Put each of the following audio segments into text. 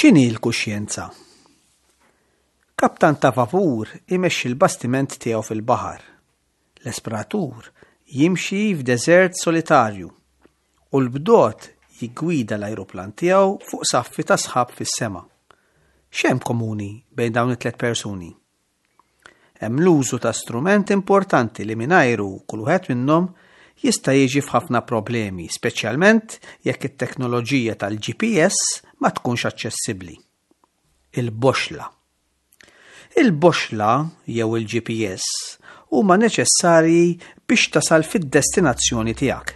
X'inhi l-kuxjenza? Kaptan ta' vapur imexxi l-bastiment tiegħu fil-baħar. L-esploratur jimxi f'deżert solitarju u l-bdot jiggwida l-ajruplan tiegħu fuq saffi ta' sħab fis-sema. X'hemm komuni bejn dawn it-tliet persuni? Hemm l-użu ta' strument importanti li mingħajru kull wieħed minnhom jista' jiġi f'ħafna problemi, speċjalment jekk it-teknoloġija tal-GPS ma tkunx aċċessibbli. Il-boxla. Il-boxla jew il-GPS huma neċessarji biex tasal fid-destinazzjoni tiegħek.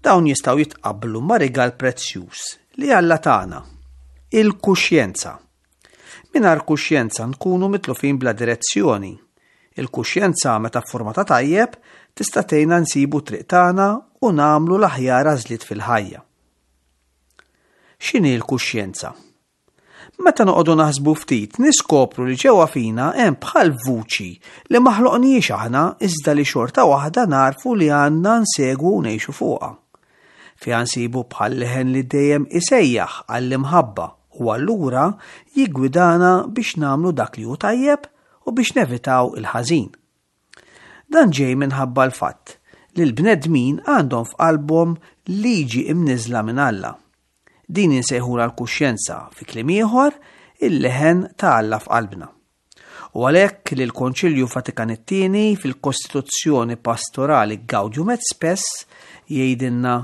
Dawn jistgħu jitqabblu ma' rigal prezzjuż li Alla tana, il-kuxjenza. Mingħajr kuxjenza nkunu mitlufin bla direzzjoni. Il-kuxjenza meta ffurmata tajjeb tista' tgħinna nsibu t-triq tagħna u nagħmlu l-aħjar għażliet fil-ħajja. X'inhi l-kuxjenza? Meta noqogħdu naħsbu ftit niskopru li ġewwa fina hemm bħal vuċi li ma ħloqniex aħna iżda li xorta waħda narfu li għandna nsegwu u ngħixu fuqha. Fiha nsibu bħal leħen li dejjem isejjaħ għall-imħabba u allura jiggwidana biex nagħmlu dak li hu tajjeb u biex nevitaw il-ħażin. Dan ġej minħabba l-fatt li l-bnedmin għandhom f'qalbhom liġi imniżla minn Alla. Din insejħula l-kuxjenza, fi kliem ieħor, il-leħen ta' Alla f'qalbna. U għalhekk li l-Konċilju Vatikan it-Tieni fil-Kostituzzjoni Pastorali Gaudium et Spes jgħidilna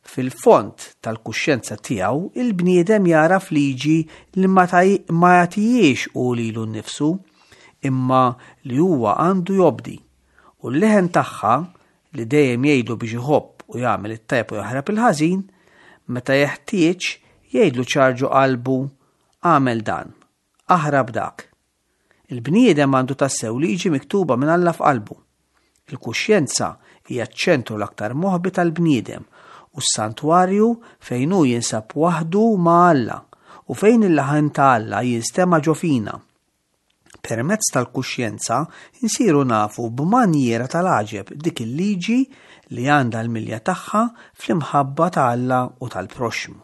fil-fond tal-kuxjenza tiegħu il-bniedem jagħraf liġi li ma jagħtihiex hu lilu nnifsu, imma li huwa għandu jobdi, u l-leħen tagħha li dejjem jgħidlu biex iħobb u jagħmel it-tajjeb u jaħrab il-ħażin, meta jeħtieġ jgħidlu ċar ġo qalbu agħmel dan. Aħrab dak. Il-bniedem għandu tassew liġi miktuba minn Alla f'qalbu. Il-kuxjenza hija ċ-ċentru l-aktar moħbi tal-bniedem u s-santwarju fejn hu jinsab waħdu ma' Alla u fejn il-laħen ta' Alla jinstema' ġo fina. Permezz tal-kuxjenza nsiru nafu b'manjiera tal-għaġeb dik il-liġi li għandha l-milja tagħha fl-imħabba ta' Alla u tal-proxxmu.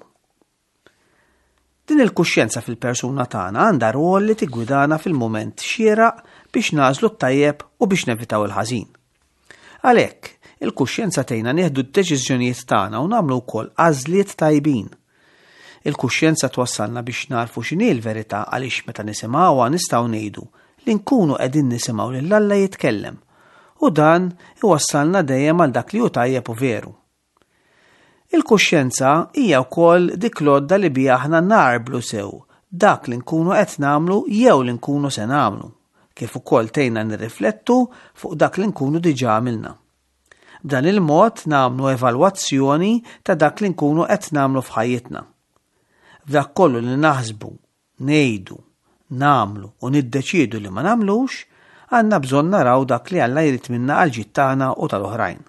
Din il-kuxjenza fil-persuna tagħna għandha rwol li tiggwidana fil-mument xieraq biex nagħżlu t-tajjeb u biex nevitaw il-ħażin. Għalhekk, il-kuxjenza tgħinna nieħdu d-deċiżjonijiet tagħna u nagħmlu wkoll għażliet tajbin. Il-kuxjenza twassalna biex narfu x'inhi l-verità għaliex meta nisimgħuha nistgħu ngħidu li nkunu qegħdin nisimgħu lil Alla jitkellem. U dan iwassalna dejjem għal dak li hu tajjeb u veru. Il-kuxjenza hija wkoll dik l-għodda li biha aħna nagħrblu sew dak li nkunu qed nagħmlu jew li nkunu se nagħmlu, kif ukoll tgħinna nirriflettu fuq dak li nkunu diġà għamilna. B'dan il-mod nagħmlu evalwazzjoni ta' dak li nkunu qed nagħmlu f'ħajjitna. F'dak kollu li naħsbu ngħidu, nagħmlu u niddeċiedu li ma nagħmlux, għandna bżonn naraw dak li Alla jrid minna għall-ġid tagħna u tal-oħrajn.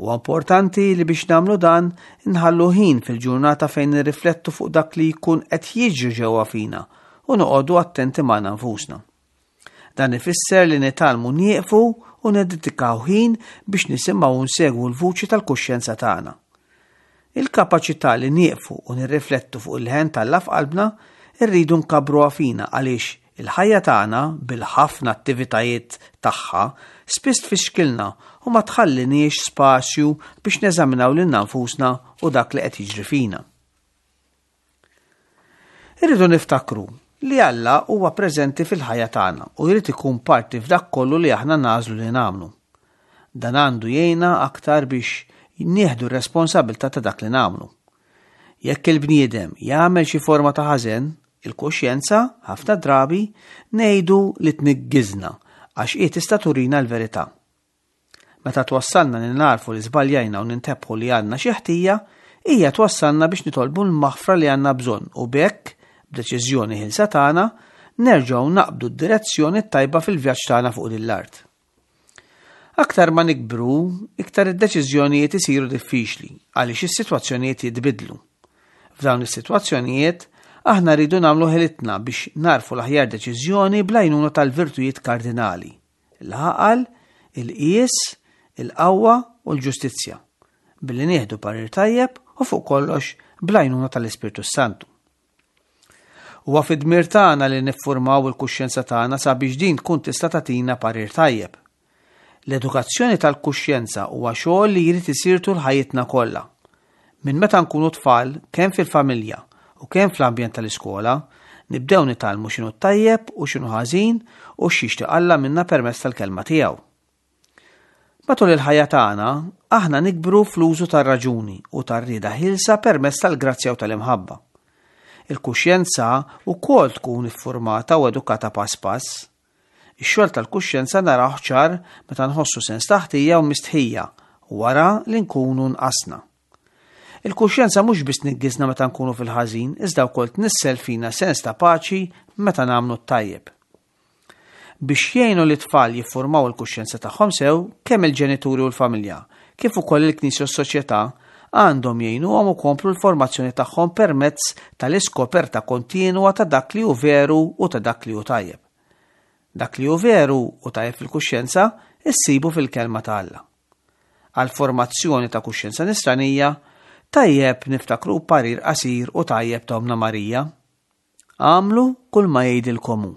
Huwa importanti li biex nagħmlu dan inħallu ħin fil-ġurnata fejn nirriflettu fuq dak li jkun qed jiġri ġewwa fina u noqogħdu attenti magħna nfusna. Dan ifisser li nitgħallmu nieqfu u niddedikaw ħin biex nisimgħu u nsegwu l-vuċi tal-kuxjenza tagħna. Il-kapaċità li nieqfu u nirriflettu fuq il-leħen t'Alla f'qalbna rridu nkabbruha fina għaliex il-ħajja tagħna bil-ħafna attivitajiet tagħha spiss tfixkilna u ma tħalliniex spazju biex neżaminaw lilna nfusna u dak li qed jiġri fina. Irridu niftakru li Alla huwa preżenti fil-ħajja tagħna u jrid ikun parti f'dak kollu li aħna nagħżlu li nagħmlu. Dan għandu jgħinna aktar biex nieħdu r-responsabilità ta' dak li nagħmlu. Jekk il-bniedem jagħmel xi forma ta' ħażen, il-kuxjenza, ħafna drabi, ngħidu li tniggiżna għax hi tista' turina l-verità. Meta twassalna li nagħrfu li żbaljajna u nintebħu li għandna xi ħtija, hija twassalna biex nitolbu l-maħfra li għandna bżonn u b'hekk, b'deċiżjoni ħielsa tagħna, nerġgħu naqbdu d-direzzjoni t-tajba fil-vjaġġ tagħna fuq din l-art. Aktar ma nikbru, iktar id-deċiżjonijiet isiru diffiċli għaliex is-sitwazzjonijiet jitbiddlu. F'dawn is-sitwazzjonijiet, aħna rridu nagħmlu ħilitna biex nagħrfu l-aħjar deċiżjoni bl-għajnuna tal-virtujiet kardinali. l-għaqal, il-qies, il-qawwa u l-ġustizzja, billi nieħdu parir tajjeb u fuq kollox bl-għajnuna tal-Ispirtu s-Santu. Huwa fid-dmir tagħna li niffurmaw il-kuxjenza tagħna sabiex din tkun tista' tagħtina parir tajjeb. L-edukazzjoni tal-kuxjenza huwa xogħol li jrid isir tul ħajjitna kollha. Minn meta nkunu tfal, kemm fil-familja u kemm fl-ambjent tal-iskola, nibdew nitgħallmu x'inhu tajjeb u x'inhu ħażin u x'jixtieq Alla minna permezz tal-kelma tiegħu. Matul il-ħajja tagħna, aħna nikbru fl-użu tar-raġuni u tar-rieda ħielsa permezz tal-grazzja u tal-imħabba. Il-kuxjenza wkoll tkun iffurmata u edukata pass pass. Ix-xogħol tal-kuxjenza narawh ċar meta nħossu sens ta' ħtija u mistħija wara li nkunu nqasna. Il-kuxjenza mhux biss tniggiżna meta nkunu fil-ħażin, iżda wkoll tnissel fina sens ta' paċi meta nagħmlu t-tajjeb. Biex jgħinu lit-tfal jiffurmaw il-kuxjenza tagħhom sew, kemm il-ġenituri u l-familja, kif ukoll il-Knisja u s-soċjetà, għandhom jgħinuhom ikomplu l-formazzjoni tagħhom permezz tal-iskoperta kontinwa ta' dak li hu veru u ta' dak li hu tajjeb. Dak li hu veru u tajjeb fil-kuxjenza issibu fil-Kelma ta' Alla. Għall-formazzjoni ta' kuxjenza nisranija, tajjeb niftakru parir qasir u tajjeb ta' Ommna Marija, Agħmlu kull ma jgħidilkom hu.